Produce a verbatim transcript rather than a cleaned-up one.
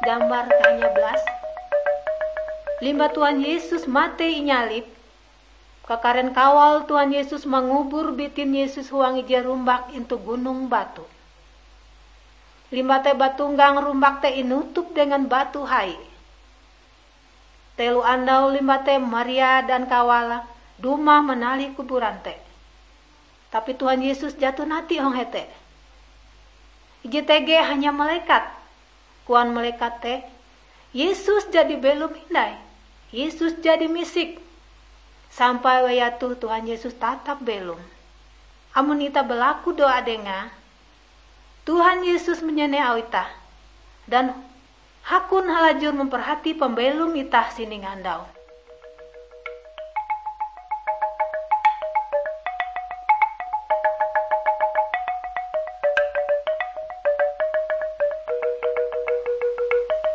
Gambar kahanya belas. Limbah Tuhan Yesus matei inyalib, kakaren kawal Tuhan Yesus mangubur bitin Yesus huang ije rumbak intu gunung batu. Limbah te batunggang rumbak te inutup dengan batu hai. Telo andau limbah te Maria dan kawala dumah manalih kuburan te. Tapi Tuhan Yesus jaton atie hong hete. Ije tege hanya malekat. Koan malekat te, "Yesus jadi belom hindai. Yesus jadi misik." Sampai wayah toh Tuhan Yesus tatap belom. Amon itah balaku doa Dengae, Tuhan Yesus manyaneh auh itah dan hakon halajur memperhati pambelom itah sining andau.